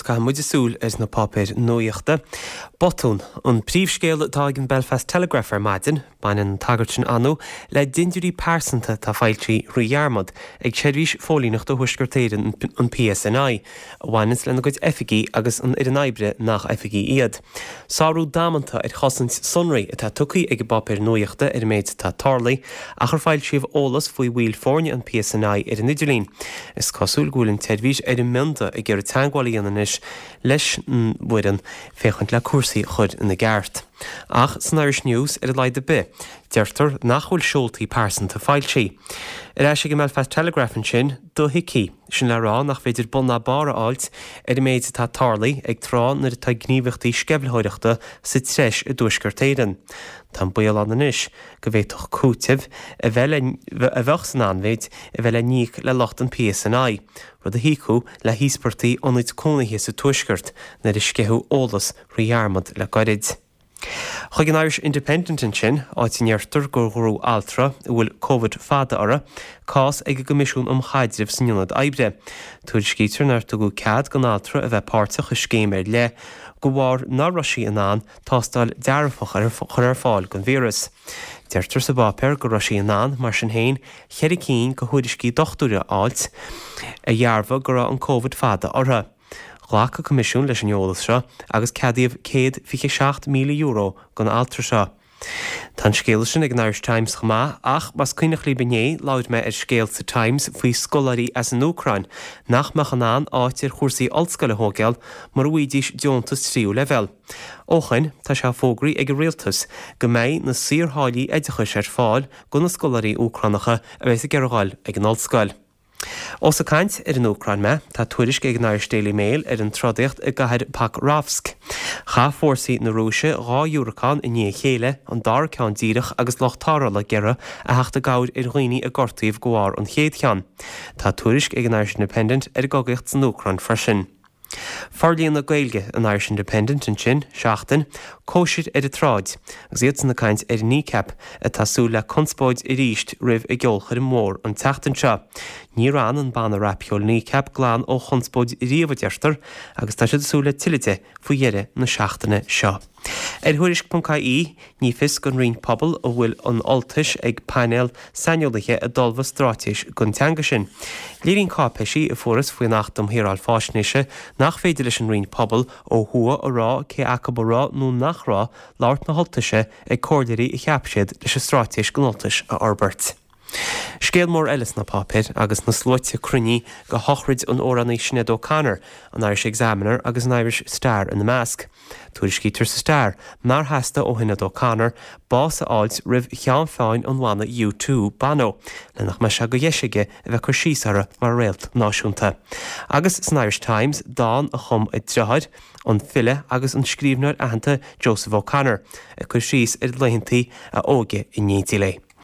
caithfidh muide súil ar na páipéir nuaíochta. Botún an príomhscéal atá ag an Belfast Telegraph ar maidin. Baineann an tagairt sin ann le dintiúirí pearsanta atá foilsithe thrí dhearmad ag Seirbhís Phóilíneachta Thuaisceart Éireann, an PSNI, a bhaineanns lena gcuid oifigí agus an fhoireann oibre nach oifigigh iad. Sárú damanta ar chosaint sonraí atá tugtha ag an bpáipéar nuaíochta ar an méid atá tarlaithe ach ar foilsíodh eolas faoi bhaill foirne an PSNI ar an idirlíon. Is cosúil go bhfuil an tseirbhís ar an mbionda ag iarraidh teagmháil a dhéanamh anois leis an bhfoireann féachaint le cúrsaí a chur ina gceart. Ach san Irish News, ar a laghad ar bith, deirtear nach bhfuil seoltaí pearsanta foilsithe. Ar ais ag an mBelfast Telegraph ansin, dothuigthe, sin le rá nach féidir bun ná barr a fháilt ar an méid atá tarlaithe ag tráth nuair atá gníomhaíochtaí sceimhlitheoireachta sa treis i dTuaisceart Éireann. Tá an baol ann anois go bhféadfadh cúiteamh a bheith le a bheadh san anmhéid a bheith le n-íoc le lucht an PSNI, rud a thiocfadh le híospartaigh ionaid cónaithe sa Tuaisceart nuair a sceitheadh eolas thrí dhearmad le goirid. Chuig an Irish Independent ansin, áit a ndeirtear gur ghnóthaigh altra, a bhfuil Covid fada uirthi, cás ag an gCoimisiún um Chaidreamh san Ionad Oibre. Tuairiscítear nár tugadh cead don altra a bheith páirteach i scéim ar leith de bharr nach raibh sí in ann tástáil dearfach a chur ar fáil don víreas. Deirtear sa bpáipéar go raibh sí in ann, mar sin féin, cheithre cinn de thuairiscí dochtúra a fháilt a dhearbhaigh go raibh an Covid fada orthu. Ghlac an Coimisiún leis an eolas seo agus ceadaíodh €127,000 don altra seo. Tá an scéala sin ag an Irish Times chomh maith ach más cuimhneach libh inné labhair mé ar scéal sa Times faoi scoláirí as an Úcráin nach mbeadh in ann áit ar chúrsaí ollscoile a thógáil mura bhfaighidís deontas tríú leibhéal. Ó shoin, tá sé fógraithe ag an rialtas go mbeidh na saortháillí oideachais ar fáil do na scoláirí Úcránacha a bheas ag iarraidh dhul ag an ollscoil. Ós ag caint ar an Úcráin mé, tá tuairisc ag an Irish Daily Mail ar an trodaíocht i gcathair Pokrovsk. Chaith fórsaí na Rúise 2 dhiúracán i ndiaidh a chéile, an dara ceann díreach agus lucht tarrthála ag iarraidh a theacht i gcabhair ar dhaoine a gortaíodh de bharr an chéad cheann. Tá tuairisc ag an Irish Independent ar an gcogaíocht san Úcráin freisin. Forlíonadh Gaeilge an Irish Independent ansin, Seachtain, Cóisir ar an tsráid, agus iadsan ag caint ar Kneecap, atá ag súil le conspóid arís roimh a gceolchoirm mhór an tseachtain seo. Níor fhan an banna rapcheoil Kneecap glan ó chonspóid riamh, a deirtear, agus tá siad ag súil le tuilleadh de faoi dheireadh na seachtaine seo. Ar Thuairisc.ie, ní fios don Roinn Pobal an bhfuil an Ultais ag painéal saineolaithe a d'ullmhaigh straitéis don teanga sin. Léiríonn cáipéisí a fuarthas faoin Acht um Shaoráil Faisnéise nach féidir leis an Roinn Pobal ó thuaidh a rá cé acu a raibh nó nach raibh labhairt na hUltaise ag comhairleoirí a cheap siad leis an straitéis don Ultais a fhorbairt. Scéal mór eile sna páipéir agus na sluaite cruinnithe go shochraid an amhránaí Sinéad O'Connor, an Irish Examiner agus an Irish Star ina measc. Tuairiscítear sa Star nár theastaigh ó Shinéad O'Connor bás a fháilt roimh cheann feadhain an bhanna U2, Bono, le nach mbeadh sé de dheis aige a bheith ag cur síos uirthi mar réalt náisiúnta. Agus san Irish Times, dán a chum a deartháir, an file agus an scríbhneoir aitheanta Joseph O'Connor, ag cur síos ar laethanta a óige in éindí léi.